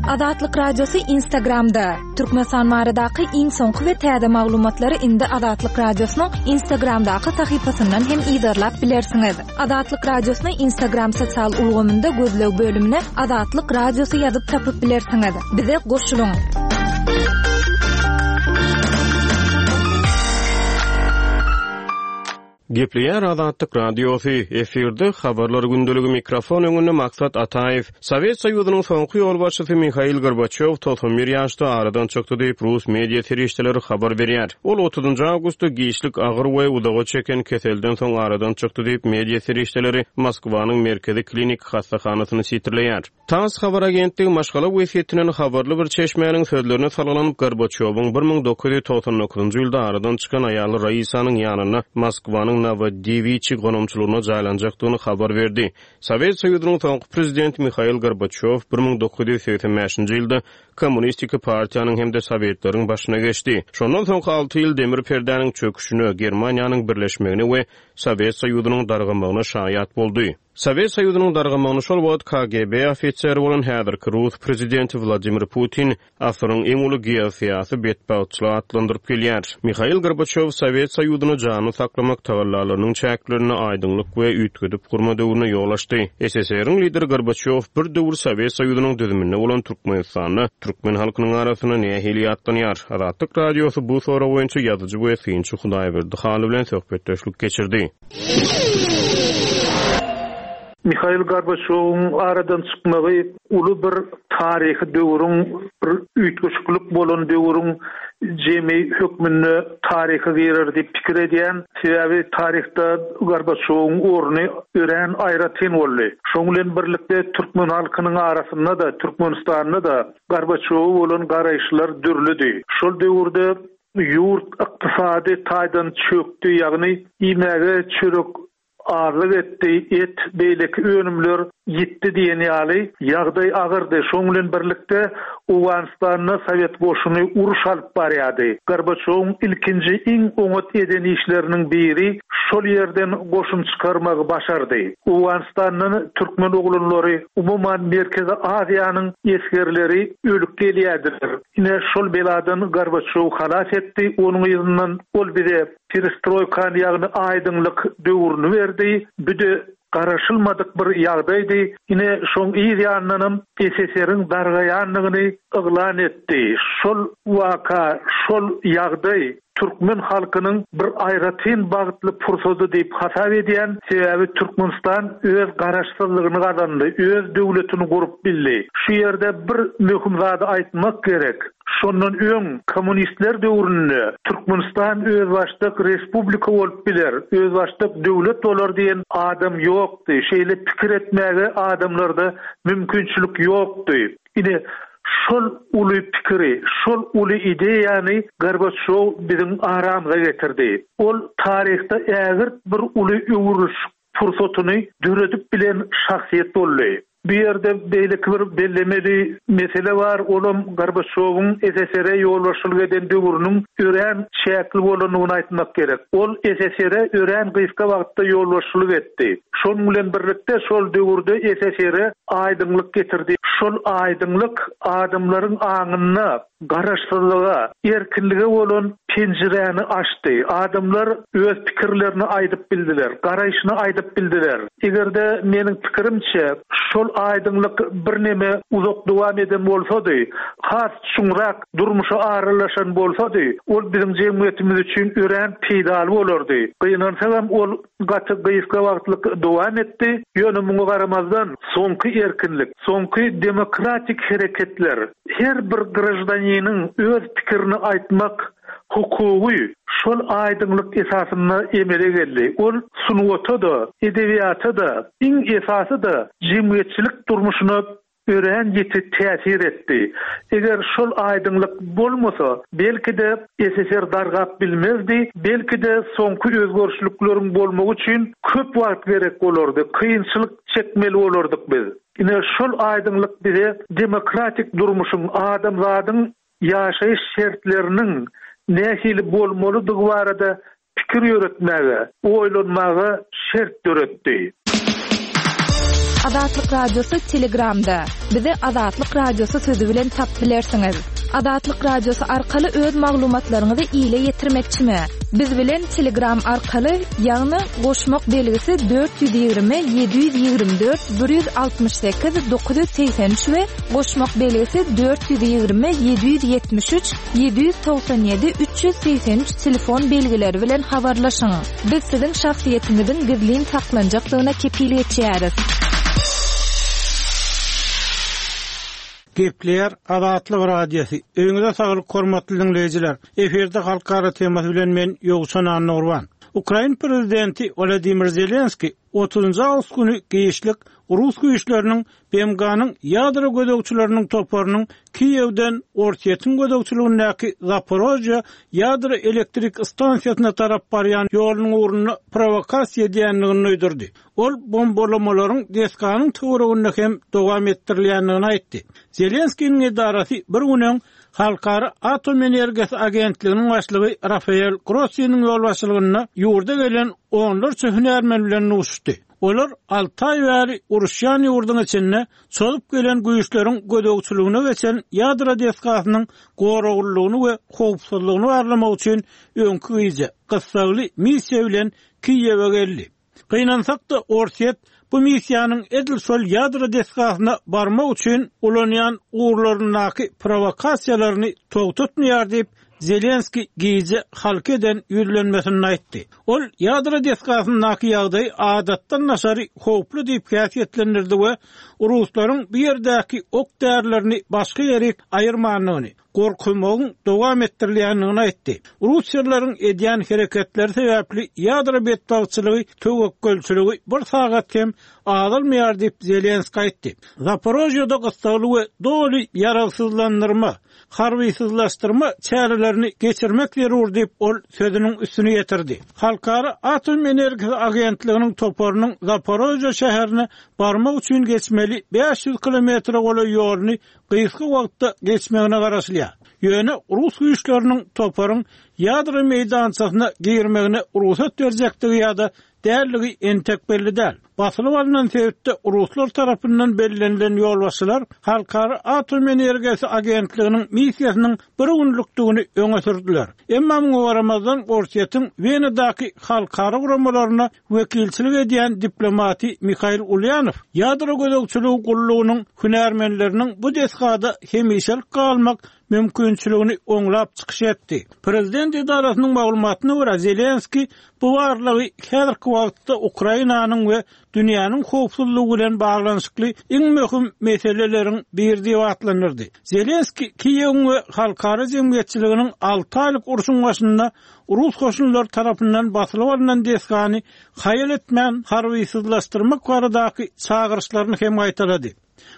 Azatlyk Radiosy Instagramda. Türkmenistan baradaky iň soňky we täze maglumatlary indi Azatlyk Radiosynyň Instagramdaky sahypasyndan hem yzarlap bilersiňiz. Azatlyk Radiosyny Instagram sosial ulgamynda gözleg bölümine Azatlyk Radiosy ýazyp tapyp bilersiňiz. Bize goşulyň! Gepleýär Azatlyk Radiosy, efirde Habarlar gündeligi mikrofon öňünde Maksat Ataýew. Sowet Soýuzynyň soňky ýolbaşçysy Mihail Gorbaçýow 91 ýaşda aradan çykdy diýip, rus media serişdeleri habar berýär. Ol otuzynjy awgustda giçlik agyr we uzaga çeken keselden soň aradan çykdy diýip, media serişdeleri Moskwanyň Merkezi kliniki hassahanasyny sitirleýär. Tass habar agentligi maşgala wesýetinden habarly bir çeşmäniň sözlerine salgylanyp, Gorbaçýowyň 1999-njy ýylda aradan çykan aýaly Raisanyň ýanynda Moskwanyň Nowodewiçi gonamçylygyna jaýlanjakdygyny habar berdi. Sowet Soýuzynyň soňky prezidenti Mihail Gorbaçýow 1985-nji ýylda Kommunistiki partiýanyň hem-de Sowetleriň başyna geçdi. Şondan soňky alty ýyl demir perdäniň çöküşine, Germaniýanyň birleşmegine we Sowet Soýuzynyň dargamagyna şaýat boldy. Sowet Soýuzynyň dargamagyny şol wagt KGB ofiseri bolan häzirki rus prezidenti Wladimir Putin asyryň iň uly geosyýasy betbagtçylygy atlandyryp gelýär. Mihail Gorbaçýow Sowet Soýuzyny janly saklamak tagallalarynyň çäklerinde aýdyňlyk we üýtgedip gurma döwrüne ýol açdy. SSR-iň lideri Gorbaçýow bir döwür Sowet Soýuzynyň düzüminde bolan Türkmenistanda türkmen halkynyň arasynda nähili ýatlanýar? Azatlyk Radiosy bu sorag boýunça ýazyjy we synçy Hudaýberdi Hally bilen söhbetdeşlik geçirdi. Mihail Gorbaçýowyň aradan çykmagy uly bir taryhy döwrüň, bir üýtgeşiklik bolan döwrüň jemi hökmünde taryha girer diýip pikir edýän. Sebäbi taryhda Gorbaçýowyň orny örän aýratyn boldy. Şoň bilen birlikde türkmen halkynyň arasynda-da, Türkmenistanda-da Gorbaçýowa bolan garaýyşlar dürlüdi. Şol döwürde Ýurt ykdysady taýdan çökdi, ýagny iýmäge çörek azlyk etdi, et, beýleki önümler ýitdi diýen ýaly, ýagdaý agyrdy. Şoň bilen birlikde, Owganystanda sowet goşuny uruş alyp barýardy. Gorbaçýowyň ilkinji iň oňat eden işleriniň biri şol ýerden goşun çykarmagy başardy. Owganystandan türkmen oglanlary, umuman Merkezi Aziýanyň esgerleri ölüp gelýärdiler. Ine, şol beladan Gorbaçýow halas etdi, onuň yzyndan ol bize perestroýkany, ýagny aýdyňlyk döwrüni berdi. Büde garaşylmadyk bir ýagdaýdy. Ine, şoň yz ýanyndanam SSR-iň dargaýandygyny yglan etdi. Şol waka, şol ýagdaý türkmen halkynyň bir aýratyn bagtly pursady diýip hasap edýän, sebäbi Türkmenistan öz garaşsyzlygyny gazandy, öz döwletini gurup bildi. Şu ýerde bir möhüm zady aýtmak gerek, şondan öň kommunistler döwründe Türkmenistan özbaşdak respublika bolup biler, özbaşdak döwlet bolar diýen adam ýokdy, şeýle pikir etmäge adamlarda mümkinçilik ýokdy. Ine, şol uly pikiri, şol uly ideýany Gorbaçýow biziň aramyza getirdi. Ol taryhda ägirt bir uly öwrülişik pursatyny döredip bilen şahsyýet boldy. Bu ýerde beýleki bir bellemeli mesele bar, olam Gorbaçýowyň SSR-e ýolbaşçylyk eden döwrüniň örän çäkli bolandygyny aýtmak gerek. Ol SSR-e örän gysga wagtda ýolbaşçylyk etdi. Şonuň bilen birlikde şol döwürde SSR-e aýdyňlyk getirdi. Şol aýdyňlyk adamlaryň aňynda garaşsyzlyga, erkinlige bolan penjiräni açdy. Adamlar öz pikirlerini aýdyp bildiler, garaýşyny aýdyp bildiler. Eger-de meniň pikirimçe, şol aýdyňlyk birneme uzak dowam eden bolsady, has çuňrak durmuşa aralaşan bolsady, ol biziň jemgyýetimiz üçin örän peýdaly bolardy. Gynansagam, ol gaty gysga wagtlyk dowam etdi, ýöne muňa garamazdan, soňky erkinlik, soňky demokratik hereketler, her bir graždaniniň öz pikirini aýtmak hukugy şol aýdyňlyk esasynda emele geldi. Ol sungata-da, edebiýata-da, iň esasy-da jemgyýetçilik durmuşyna örän ýiti täsir etdi. Eger şol aýdyňlyk bolmasa, belki-de, SSR dargap bilmezdi, belki-de, soňky özgerişlikleriň bolmagy üçin köp wagt gerek bolardy, kynçylyk çekmeli bolardyk biz. Ine, şol aýdyňlyk bize demokratik durmuşyň, adamzadyň ýaşaýyş şertleriniň nähili bolmalydygy barada pikir ýöretmäge, oýlanmaga şert döretdi. Azatlyk Radiosy Telegramda. Bizi Azatlyk Radiosy sözi bilen tapyp bilersiňiz. Azatlyk Radiosy arkaly öz maglumatlaryňyzy ile ýetirmekçimi? Biz bilen Telegram arkaly, ýagny goşmak belgisi 420 724 168 983 we goşmak belgisi 420 773 797 383 telefon belgileri bilen habarlaşyň. Biz siziň şahsyýetiňiziň gizlin saklanjakdygyna kepil geçýäris. Gepleýär Azatlyk Radiosy. Öýüňize saglyk hormatly diňleýjiler. Efirde halkara temasy bilen men Ýowşan Annagurban. Ukrain prezidenti Wladimir Zelenskiý otuzynjy awgust güni giçlik rus güýçleriniň BMG-niň ýadro gözegçileriniň toparynyň Kiýewden Orsýetiň gözegçiligindäki Zaporožýe ýadro elektrik stansiýasyna tarap barýan ýolunyň ugrunda prowokasiýa edýändigini duýdurdy. Ol bombalamalaryň desganyň töwereginde hem dowam etdirilýändigini aýtdy. Zelenskiniň edarasy bir gün öň Halkara atom energiýasy agentliginiň başlygy Rafael Grossiniň ýolbaşçylygynda ýurda gelen onlarça hünärmen bilen duşuşdy. Olar alty aý bäri uruşýan ýurduň içinde çozup gelen güýçleriň gözegçiligine geçen ýadro desgasynyň goraglylygyny we howpsuzlygyny barlamak üçin öňki gije gyssagly missiýa bilen Kiýewe geldi. Gynansak-da, Orsýet bu missiýanyň edil şol ýadro desgasyna barmak üçin ulanýan ugurlaryndaky prowokasiýalaryny togtatmaýar diýip, Zelenskiý gije halka eden ýüzlenmesinde aýtdy. Ol ýadro desgasyndaky ýagdaýy adatdan daşary howply diýip häsiýetlendirdi we ruslaryň bu ýerdäki ok-därilerini başga ýerik aýyrmandygyny, gorkuzmagyň dowam etdirilýändigini aýtdy. Russiýalylaryň edýän hereketleri sebäpli ýadro betbagtçylygy töwekgelçiligi bir sagat hem azalmaýar diýip, Zelenskiý aýtdy. Zaporožýede gyssagly we doly ýaragsyzlandyrma, harbysyzlaşdyrma çärelerini geçirmek zerur diýip, ol sözüniň üstüni ýetirdi. Halkara atom energiýasy agentliginiň toparynyň Zaporožýe şäherine barmak üçin geçmeli 500 kilometre golaý ýoluny gysga wagtda geçmegine garaşylýar. Ýöne rus güýçleriniň toparyň ýadro meýdançasyna girmegine rugsat berjekdigi ýa-da däldigi entek belli däl. Basylyp alnan sebitde ruslar tarapyndan bellenilen ýolbaşçylar Halkara atom energiýasy agentliginiň missiýasynyň bir günlükdigini öňe sürdüler. Emma muňa garamazdan Orsýetiň Wenadaky halkara guramalaryna wekilçilik edýän diplomaty Mihail Ulýanow ýadro gözegçiligi gullugynyň hünärmenleriniň bu desgada hemişelik galmak mümkinçiligini oňlap çykyş etdi. Prezident edarasynyň maglumatyna görä, Zelenskiý bu barlagy häzirki wagtda Ukrainanyň we dünýäniň howpsuzlygy bilen baglanyşykly iň möhüm meseleleriň biri diýip atlandyrdy. Zelenskiý Kiýewiň we halkara jemgyýetçiliginiň alty aýlyk urşuň başynda rus goşunlary tarapyndan basylyp alnan desgany haýal etmän harbysyzlaşdyrmak baradaky çagyryşlaryny hem gaýtalady.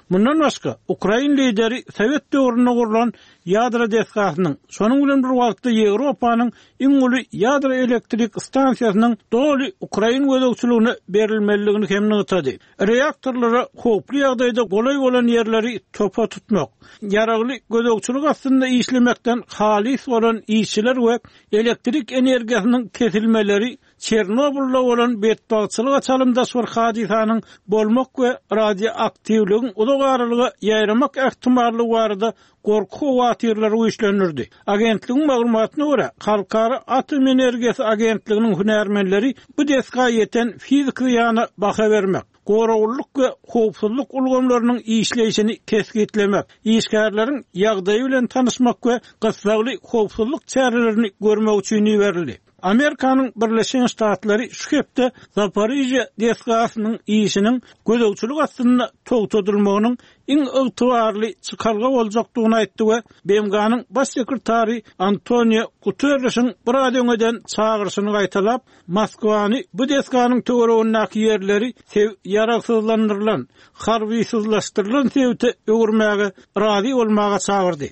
Mundan başga, ukrain lideri sowet döwründe gurlan ýadro desgasynyň, şonuň bilen bir wagtda Ýewropanyň iň uly ýadro elektrik stansiýasynyň doly ukrain gözegçiligine berilmelidigini hem nygtady. Reaktorlara howply ýagdaýda golaý bolan ýerleri topa tutmak, ýaragly gözegçilik astynda işlemekden halys bolan işçiler we elektrik energiýasynyň kesilmeleri Çernobylda bolan betbagtçylyga çalymdaş bir hadysanyň bolmak we radioaktiwligiň uzak aralyga ýaýramak ähtimallygy barada gorky-howatyrlary güýçlendirdi. Agentligiň maglumatyna görä, Halkara atom energiýasy agentliginiň hünärmenleri bu desga ýeten fiziki zyýana baha bermek, goraglylyk we howpsuzlyk ulgamlarynyň işleýşini kesgitlemek, işgärleriň ýagdaýy bilen tanyşmak we gyssagly howpsuzlyk çärelerini görmek üçin iberildi. Amerikanyň Birleşen Ştatlary şu hepde Zaporižýa desgasynyň işiniň gözegçilik astynda togtadylmagynyň iň ygtybarly çykalga boljakdygyny aýtdy we BMG-niň Baş sekretary Antonio Guterrişiň biraz öň eden çagyryşyny gaýtalap, Moskwany bu desganyň töweregindäki ýerleri ýaragsyzlandyrylan, harbysyzlaşdyrylan sebite öwürmäge razy bolmaga çagyrdy.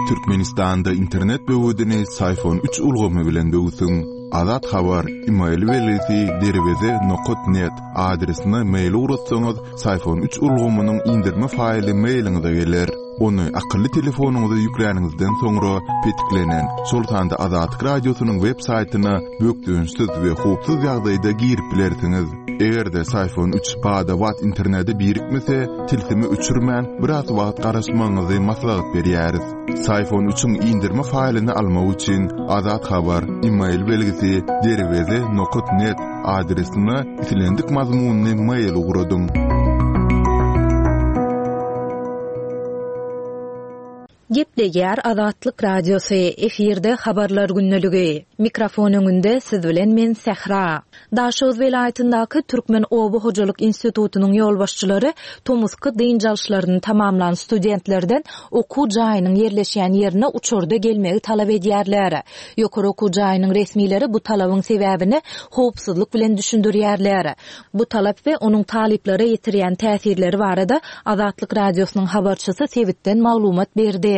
Türkmenistanda internet böwedini Syfon üç ulgamy bilen böwsüň. Azat Habar, email belgisi derweze nokat net adresine mail ugratsaňyz, Syfon üç ulgamynyň indirme faýly mailiňize geler. Ony akylly telefonyňyza ýükläniňizden soňra, petiklenen, şol sanda Azatlyk Radiosynyň web saýtyna bökdençsiz we howpsuz ýagdaýda girip bilersiňiz. Eger-de Syfon üç bada-bat internete birikmese, tilsimi öçürmän, biraz wagt garaşmagyňyzy maslahat berýäris. Syfon üçiň indirme faýlyny almak üçin Azat Habar, email belgisi, derweze nokat net adresine islendik mazmunly mail ugradyň. Gepleýär Azatlyk Radiosy, efirde Habarlar gündeligi. Mikrofon öňünde siz bilen men Sähra. Daşoguz welaýatyndaky Türkmen oba hojalyk institutynyň ýolbaşçylary tomusky dynç alyşlaryny tamamlan studentlerden okuw jaýynyň ýerleşýän ýerine uçarda gelmegi talap edýärler. Ýokary okuw jaýynyň resmileri bu talabyň sebäbini howpsuzlyk bilen düşündirýärler. Bu talap we onuň talyplara ýetirýän täsirleri barada Azatlyk Radiosynyň habarçysy sebitden maglumat berdi.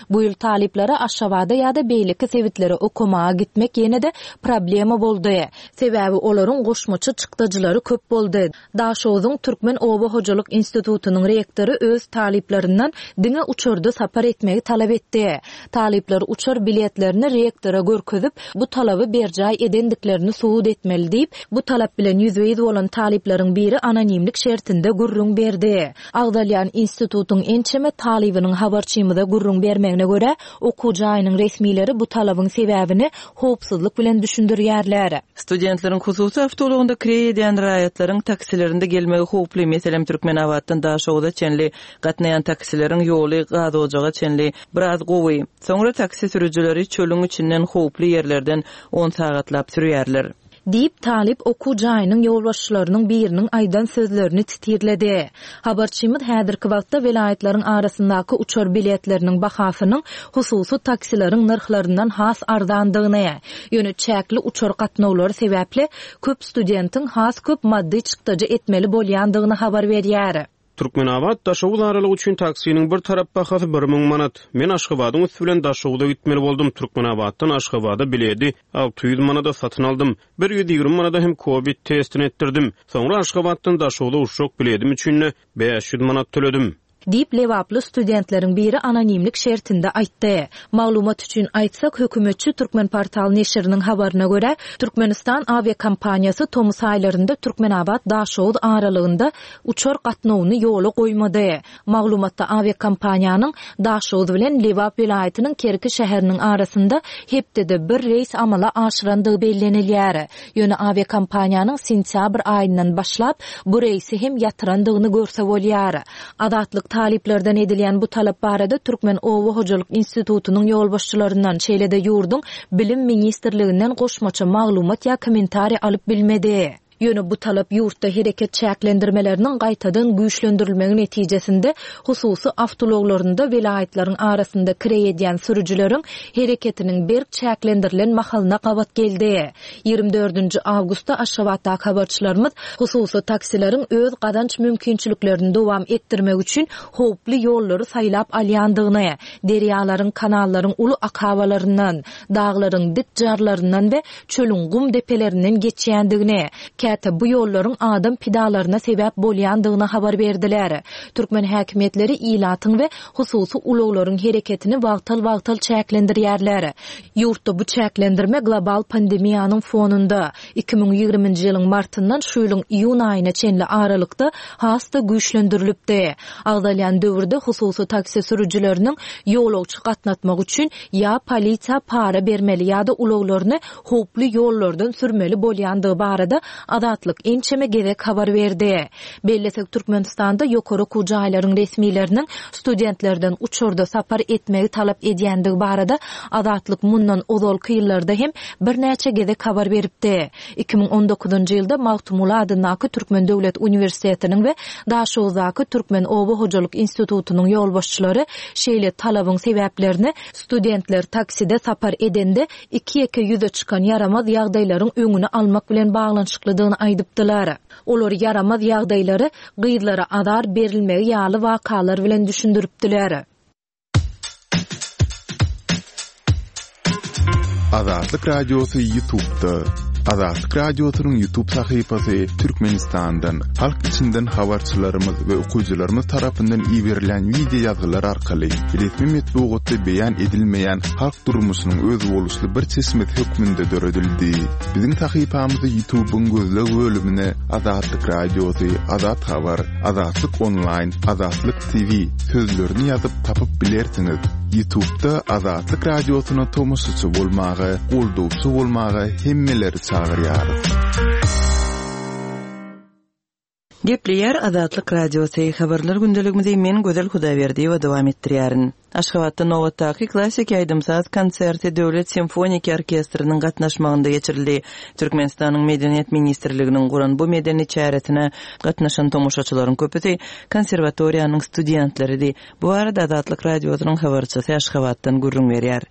Bu ýyl talyplara Aşgabada ýa-da beýleki sebitlere okamaga gitmek ýene-de problema boldy. Sebäbi olaryň goşmaça çykdajylary köp boldy. Daşoguzyň Türkmen oba hojalyk institutynyň rektory öz talyplaryndan diňe uçarda sapar etmegi talap etdi. Talyplar uçar biletlerini rektora görkezip, bu talaby berjaý edendiklerini subut etmeli diýip, bu talap bilen ýüzbe-ýüz bolan talyplaryň biri anonimlik şertinde gürrüň berdi. Agzalýan institutyň ençeme talybynyň habarçymyza gürrüň bermegine görä, okuw jaýynyň resmileri bu talabyň sebäbini howpsuzlyk bilen düşündirýärler. Studentleriň hususy awtoulagynda kireý edýän raýatlaryň taksilerinde gelmegi howply, meselem, Türkmenabatdan Daşoguza çenli gatnaýan taksileriň ýoly Gazojaga çenli biraz gowy. Soňra taksi sürüjileri çölüň içinden howply ýerlerden on sagatlap sürýärler. Diýip, talyp okuw jaýynyň ýolbaşçylarynyň biriniň aýdan sözlerini titirledi. Habarçymyz häzirki wagtda welaýatlaryň arasyndaky uçar biletleriniň bahasynyň hususy taksileriň nyrhlaryndan has arzandygyny, ýöne çäkli uçar gatnawlary sebäpli köp studentiň has köp maddy çykdajy etmeli bolýandygyny habar berýär. Türkmenabat, Daşoguz aralygy üçin taksiniň bir tarap bahasy 1000 manat. Men Aşgabadyň üsti bilen Daşoguza gitmeli boldum. Türkmenabatdan Aşgabada biledi 600 manada satyn aldym. 120 manada hem kowid testini etdirdim. Soňra Aşgabatdan Daşoguza uçjak biledim üçin-de 500 manat töledim. Diýip, lebaply studentleriň biri anonimlik şertinde aýtdy. Maglumat üçin aýtsak, hökümetçi Türkmenportal neşiriniň habaryna görä, Türkmenistan awiakompaniýasy tomus aýlarynda Türkmenabat-Daşoguz aralygynda uçar gatnawyny ýola goýmady. Maglumatda awiakompaniýanyň Daşoguz bilen Lebap welaýatynyň Kerki şäheriniň arasynda hepdede bir reýs amala aşyrandygy bellenilýär. Ýöne awiakompaniýanyň sentýabr aýyndan başlap bu reýsi hem ýatyrandygyny görse bolýar. Azatlyk talyplardan edilýän bu talap barada Türkmen oba hojalyk institutynyň ýolbaşçylaryndan, şeýle-de ýurduň Bilim ministrliginden goşmaça maglumat ýa kommentariý alyp bilmedi. Ýöne bu talap ýurtda hereket çäklendirmeleriniň gaýtadan güýçlendirilmegi netijesinde hususy awtoulaglarynda welaýatlaryň arasynda kireý edýän sürüjileriň hereketiniň berk çäklendirilen mahalyna gabat geldi. Ýigrimi dördünji awgustda Aşgabatdaky habarçylarymyz hususy taksileriň öz gazanç mümkinçiliklerini dowam etdirmek üçin howply ýollary saýlap alýandygyny, derýalaryň, kanallaryň uly akabalaryndan, daglaryň dik jarlaryndan we çölüň gum depelerinden geçýändigini, käte bu ýollaryň adam pidalaryna sebäp bolýandygyny habar berdiler. Türkmen häkimiýetleri ilatyň we hususy ulaglaryň hereketini wagtal-wagtal çäklendirýärler. Ýurtda bu çäklendirme global pandemiýanyň fonunda, 2020-nji ýylyň martyndan şu ýylyň iýun aýyna çenli aralykda has-da güýçlendirilipdi. Agzalýan döwürde hususy taksi sürüjileriniň ýolagçy gatnatmak üçin ýa polisiýa para bermeli ýa-da ulaglaryny howply ýollardan sürmeli bolýandygy barada Azatlyk ençeme gezek habar berdi. Bellesek, Türkmenistanda ýokary okuw jaýlaryň resmileriniň studentlerden uçarda sapar etmegi talap edýändigi barada Azatlyk mundan ozalky ýyllarda hem birnäçe gezek habar beripdi. 2019-njy ýylda Magtymguly adyndaky Türkmen döwlet uniwersitetiniň we Daşoguzdaky Türkmen oba hojalyk institutynyň ýolbaşçylary şeýle talabyň sebäplerini studentler takside sapar edende iki-ýeke ýüze çykan ýaramaz ýagdaýlaryň öňüni almak bilen baglanyşyklydygyny aýdypdylar. Olar ýaramaz ýagdaýlary gyzlara azar berilmegi ýaly wakalar bilen düşündiripdiler. Azatlyk Radiosy YouTube'da. Azatlyk Radiosynyň YouTube sahypasy Türkmenistandan, halk içinden habarçylarymyz we okyjylarymyz tarapyndan iberilýän wideo ýazgylar arkaly resmi metbugatda beýan edilmeýän halk durmuşynyň özboluşly bir çeşmesi hökmünde döredildi. Biziň sahypamyzy YouTube-yň gözleg bölümine Azatlyk Radiosy, Azat Habar, Azatlyk Onlaýn, Azatlyk TV sözlerini ýazyp tapyp bilersiňiz. Ýutubda Azatlyk Radiosyna tomaşaçy bolmaga, goldawçy bolmaga hemmeleri çagyrýarys. Gepleýär Azatlyk Radiosy, Habarlar gündeligimizi men Gözel Hudaýberdiýewa dowam etdirýärin. Aşgabatda nobatdaky klassiki aýdym-saz konserti Döwlet simfoniki orkestriniň gatnaşmagynda geçirildi. Türkmenistanyň Medeniýet ministrliginiň guran bu medeni çäresine gatnaşan tomaşaçylaryň köpüsi konserwatoriýanyň studentleridi. Bu barada Azatlyk Radiosynyň habarçysy Aşgabatdan gürrüň berýär.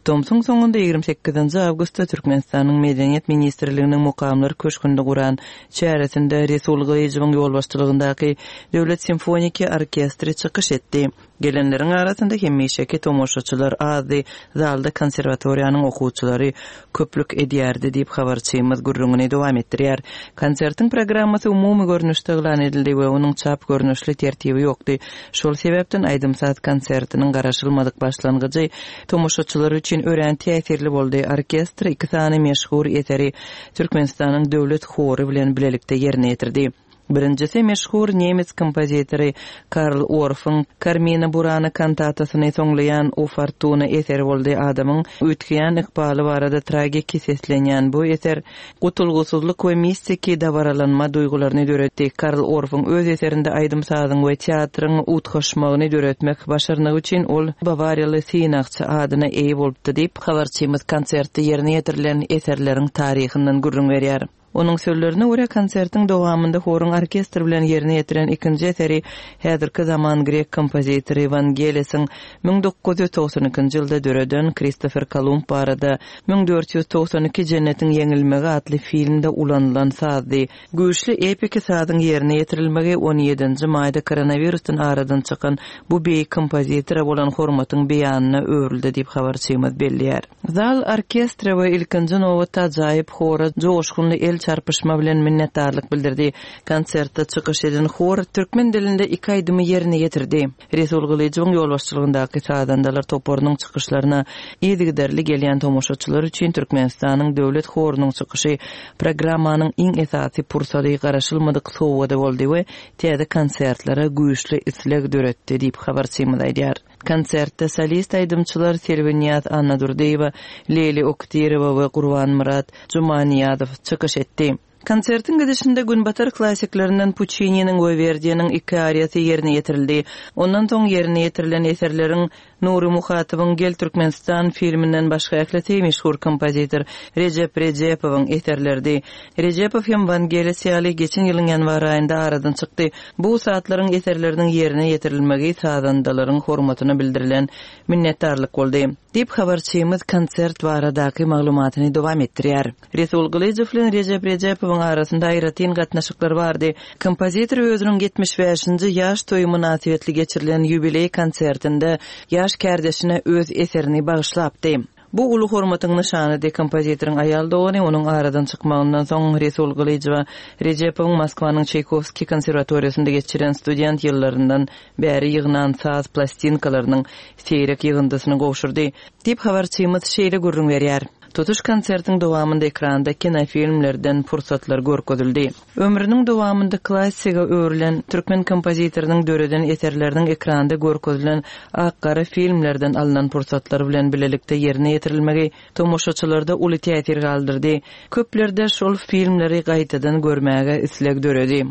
Tomsuň soňunda ýigrimi sekizinji awgustda Türkmenistanyň Medeniýet ministrliginiň Mukamlar köşgünde guran çäresinde Resul Gylyjowyň ýolbaşçylygyndaky Döwlet simfoniki orkestri çykyş etdi. Gelenleriň arasynda hemişeki tomaşaçylar azdy, zalda konserwatoriýanyň okuwçylary köplük edýärdi diýip, habarçymyz gürrüňini dowam etdirýär. Konsertiň programmasy umumy görnüşde yglan edildi we onuň çap görnüşli tertibi ýokdy. Şol sebäpden aýdym-saz konsertiniň garaşylmadyk başlangyjy tomaşaçylar üçin örän täsirli boldy, orkestr iki sany meşhur eseri Türkmenistanyň Döwlet hory bilen bilelikde ýerine ýetirdi. Birinjisi meşhur nemes kompozitory Karl Orffyň Karmina Burana kantatasyny soňlaýan O Fortuna eseri boldy. Adamyň üýtgeýän ykbaly barada tragiki seslenýän bu eser gutulgysyzlyk we mistiki dabaralanma duýgularyny döretdi. Karl Orffyň öz eserinde aýdym-sazyň we teatryň utgaşmagyny döretmek başarnygy üçin ol Bawariýaly synagçy adyna eýe bolupdy diýip, habarçymyz konsertde ýerine ýetirilen eserleriň taryhyndan gürrüň berýär. Onuň sözlerine görä, konsertiň dowamynda horuň orkestr bilen ýerine ýetiren ikinji eseri häzirki zaman grek kompozitory Wangelisiň 1992-nji ýylda döreden Kristofer Kolumb barada 1492 Jennetiň ýeňilmegi atly filmde ulanylan sazdy. Güýçli epiki sazyň ýerine ýetirilmegi on ýedinji maýda koronawirusdan aradan çykan bu beýik kompozitora bolan hormatyň beýanyna öwrüldi diýip habarçymyz belleýär. Zal orkestre we ilkinji nobatda ajaýyp hora joşgunly el çarpyşma bilen minnetdarlyk bildirdi. Konsertde çykyş eden hor türkmen dilinde iki aýdymy ýerine ýetirdi. Resul Gylyjowyň ýolbaşçylygyndaky sazandalar toparynyň çykyşlaryna yzygiderli gelýän tomaşaçylar üçin Türkmenistanyň Döwlet horunyň çykyşy programmanyň iň esasy pursady garaşylmadyk sowgady boldy we täze konsertlere güýçli isleg döretdi diýip habarçymyz aýdýar. Konsertde solist aýdymçylar Selbinýaz Annadurdyýewa, Leýli Oktyrowa we Gurbanmyrat Jumaniýazow çykyş etdi. Konsertiň gidişinde günbatar klassiklerinden Puçininiň we Werdiniň iki ariýasy ýerine ýetirildi. Ondan soň ýerine ýetirilen eserleriň Nury Muhatowyň Gel Türkmenistan filminden başga ählisi meşhur kompozitor Rejep Rejepowyň eserleridi. Rejepow hem Wangelis ýaly geçen ýylyň ýanwar aýynda aradan çykdy. Bu ussatlaryň eserleriniň ýerine ýetirilmegi sazandalaryň hormatyna bildirilen minnetdarlyk boldy. Diýip, habarçymyz konsert baradaky maglumatyny dowam etdirýär. Resul Gylyjow bilen Rejep Rejepowyň arasynda aýratyn gatnaşyklar bardy. Kompozitor özüniň 75-nji ýaş toýy mynasybetli geçirilen ýubileý konsertinde ýaş kärdeşine öz eserini bagyşlapdy. Bu uly hormatyň nyşanydy. Kompozitoryň aýal dogany onuň aradan çykmagyndan soň Resul Gylyjowa Rejepowyň Moskwanyň Çaýkowskiý konserwatoriýasynda geçiren student ýyllaryndan bäri ýygnan saz plastinkalarynyň seýrek ýygyndysyny gowşurdy. Diýip, habarçymyz şeýle gürrüň berýär. Tutuş konsertiň dowamynda ekranda kinofilmlerden pursatlar görkezildi. Ömrüniň dowamynda klassika öwrülen türkmen kompozitorynyň döreden eserleriniň ekranda görkezilen ak-gara filmlerden alnan pursatlar bilen bilelikde ýerine ýetirilmegi tomaşaçylarda uly täsir galdyrdy. Köplerde şol filmleri gaýtadan görmäge isleg döredi.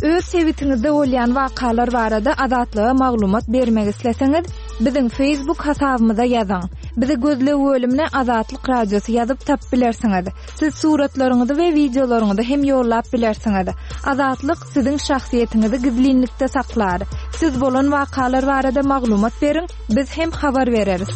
Öz sebitiňizde bolýan wakalar barada Azatlyga maglumat bermek isleseňiz, Biziň Facebook hasabymyza ýazyň. Bizi gözleg bölümine Azatlyk Radiosy ýazyp tapyp bilersiňiz. Siz suratlaryňyzy we wideolaryňyzy hem ýollap bilersiňiz. Azatlyk siziň şahsyýetiňizi gizlinlikde saklar. Siz bolan wakalar barada maglumat beriň, biz hem habar bereris.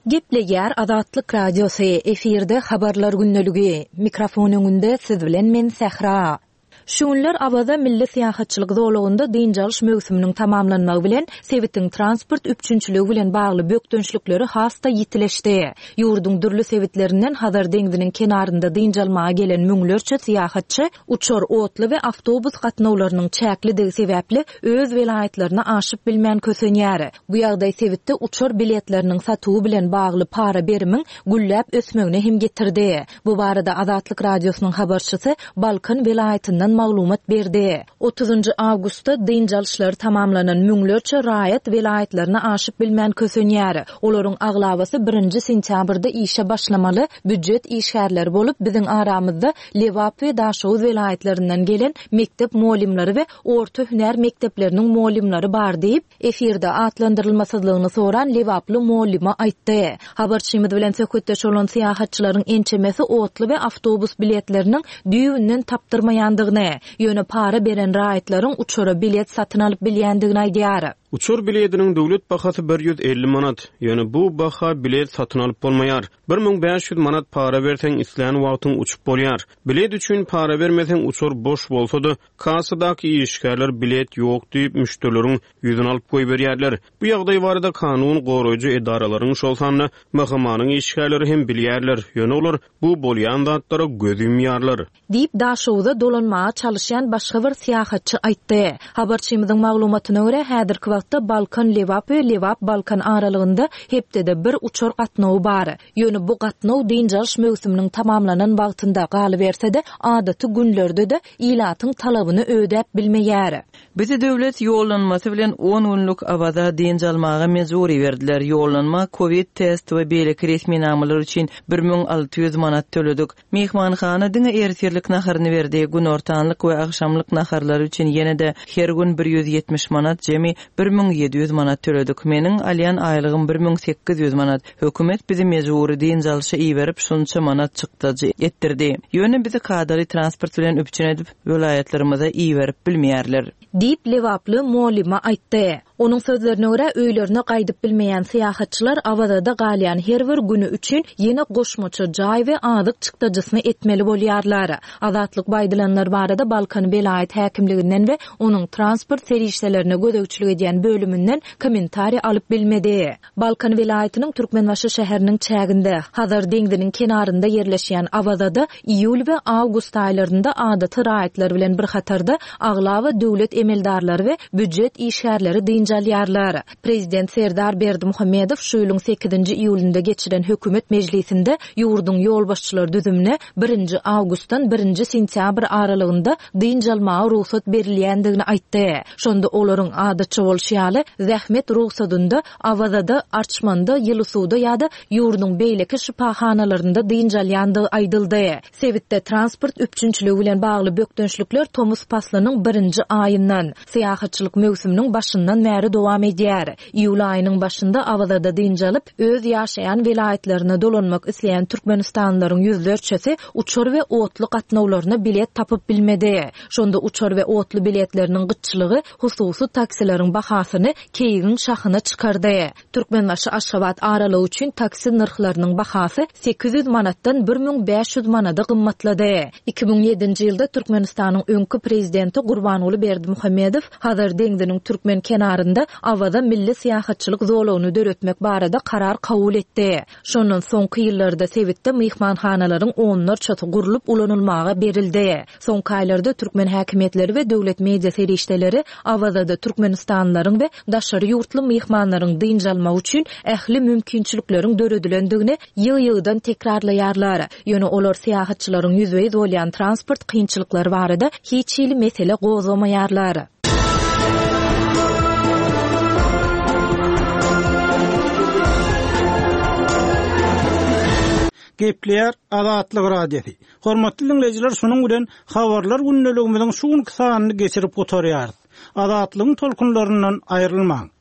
Gepleýär Azatlyk Radiosy, efirde Habarlar gündeligi. Mikrofon öňünde siz bilen men Sähra. Şu günler Awaza milli syýahatçylyk zolagynda dynç alyş möwsüminiň tamamlanmagy bilen, sebitiň transport üpjünçiligi bilen bagly bökdençlikleri has-da ýitileşdi. Ýurduň dürli sebitlerinden Hazar deňziniň kenarynda dynç almaga gelen müňlerçe syýahatçy uçar, otly we awtobus gatnawlarynyň çäklidigi sebäpli öz welaýatlaryna aşyp bilmän kösenýär. Bu ýagdaý sebitde uçar biletleriniň satuwy bilen bagly para-berimiň gülläp ösmegine hem getirdi. Bu barada Azatlyk Radiosynyň habarçysy Balkan welaýatyndan maglumat berdi. Otuzynjy awgustda dynç alyşlary tamamlanan müňlerçe raýat welaýatlaryna aşyp bilmän kösenýär. Olaryň aglabasy birinji sentýabrda işe başlamaly býujet işgärleri bolup, biziň aramyzda Lebap we Daşoguz welaýatlaryndan gelen mekdep mugallymlary we orta hünär mekdepleriniň mugallymlary bar diýip, Efirde atlandyrylmasyzlygyny soran lebaply mugallyma aýtdy. Habarçymyz bilen söhbetdeş bolan syýahatçylaryň ençemesi otly we awtobus biletleriniň düýbünden tapdyrmaýandygyny, ýöne para beren raýatlaryň uçara bilet satyn alyp bilýändigini aýdýar. Uçar bilediniň döwlet bahasy 150 manat. Ýöne bu baha bilet satyn alyp bolmaýar. 1500 manat para berseň islän wagtyň uçup bolýar. Bilet üçin para bermeseň uçar boş bolsa-da, Kassadaky işgärler bilet ýok diýip, müşderileriň ýüzüni alyp goýberýärler. Bu ýagdaý barada kanun goraýjy edaralaryň, şol sanda MHM-niň işgärleri hem bilýärler, ýöne olar bu bolýan zatlara göz ýumýarlar. Diýip, Daşoguza dolanmaga çalyşýan başga bir syýahatçy aýtdy. Habarçymyzyň maglumatyna görä, häzirki wagtda Balkan-Lebap we Lebap-Balkan aralygynda hepdede bir uçar gatnawy bar. Ýöne bu gatnaw dynç alyş möwsüminiň tamamlanan wagtynda, galyberse-de, adaty günlerde-de ilatyň talabyny ödäp bilmeýär. Bizi döwlet ýollanmasy bilen on günlük Awaza dynç almaga mejbury berdiler. Ýollanma, kowid test we beýleki resminamalar üçin 1600 manat töledik. Myhmanhana diňe ertirlik naharyny berdi, günortanlyk we agşamlyk naharlary üçin ýene-de her gün 170 manat, jemi 1700 manat töledik. Meniň alýan aýlygym 1800 manat. Hökümet bizi mejbury dynç alşa iberip, şunça manat çykdajy etdirdi. Ýöne bizi kadaly transport bilen üpjün edip, welaýatlarymyza iberip bilmeýärler. Diýip, lebaply mugallyma aýtdy. Onuň sözlerine görä, öýlerine gaýdyp bilmeýän syýahatçylar Awazada galýan her bir güni üçin ýene goşmaça jaý we azyk çykdajysyny etmeli bolýarlar. Azatlyk bu aýdylanlar barada Balkan welaýat häkimliginden we onuň transport serişdelerine gözegçilik edýän bölüminden kommentariý alyp bilmedi. Balkan welaýatynyň Türkmenbaşy şäheriniň çäginde, Hazar deňziniň kenarynda ýerleşýän Awazada iýul we awgust aýlarynda adaty raýatlar bilen bir hatarda aglaba döwlet emeldarlary we býujet işgärleri dynç alýarlar. Prezident Serdar Berdimuhamedow şu ýylyň sekizinji iýulynda geçiren hökümet mejlisinde ýurduň ýolbaşçylar düzümine birinji awgustdan birinji sentýabr aralygynda dynç almaga rugsat berilýändigini aýtdy. Şonda olaryň, adatça bolşy ýaly, zähmet rugsadynda Awazada, Arçmanda, Ýylysuwda ýa-da ýurduň beýleki şypahanalarynda dynç alýandygy aýdyldy. Sebitde transport üpjünçiligi bilen bagly bökdençlikler tomus paslynyň birinji aýyndan, syýahatçylyk möwsüminiň başyndan bäri dowam edýär. Iýul aýynyň başynda Awazada dynç alyp, öz ýaşaýan welaýatlaryna dolanmak isleýän türkmenistanlylaryň ýüzlerçesi uçar we otly gatnawlaryna bilet tapyp bilmedi. Şonda uçar we otly biletleriniň gytçylygy hususy taksileriň bahasyny keýigiň şahyna çykardy. Türkmenbaşy-Aşgabat aralygy üçin taksi nyrhlarynyň bahasy 800 manatdan 1500 manada gymmatlady. 2007-nji ýylda Türkmenistanyň öňki Prezidenti Gurbanguly Berdimuhamedow Hazar deňziniň türkmen kenarynda Awaza milli syýahatçylyk zolagyny döretmek barada karar kabul etdi. Şondan soňky ýyllarda sebitde myhmanhanalaryň onlarçasy gurlup ulanylmaga berildi. Soňky aýlarda türkmen häkimiýetleri we döwlet media serişdeleri Awazada türkmenistanlylaryň we daşary ýurtly myhmanlaryň dynç almagy üçin ähli mümkinçilikleriň döredilendigini ýygy-ýygydan tekrarlaýarlar. Ýöne olar syýahatçylaryň ýüzbe-ýüz bolýan transport kynçylyklary barada hiç hili mesele gozgamaýarlar. Gepleýär Azatlyk Radiosy. Hormatly diňleýjiler, şunuň bilen Habarlar gündeligimiziň şu günki sanyny geçirip gutarýarys. Azatlygyň tolkunlaryndan aýrylmaň!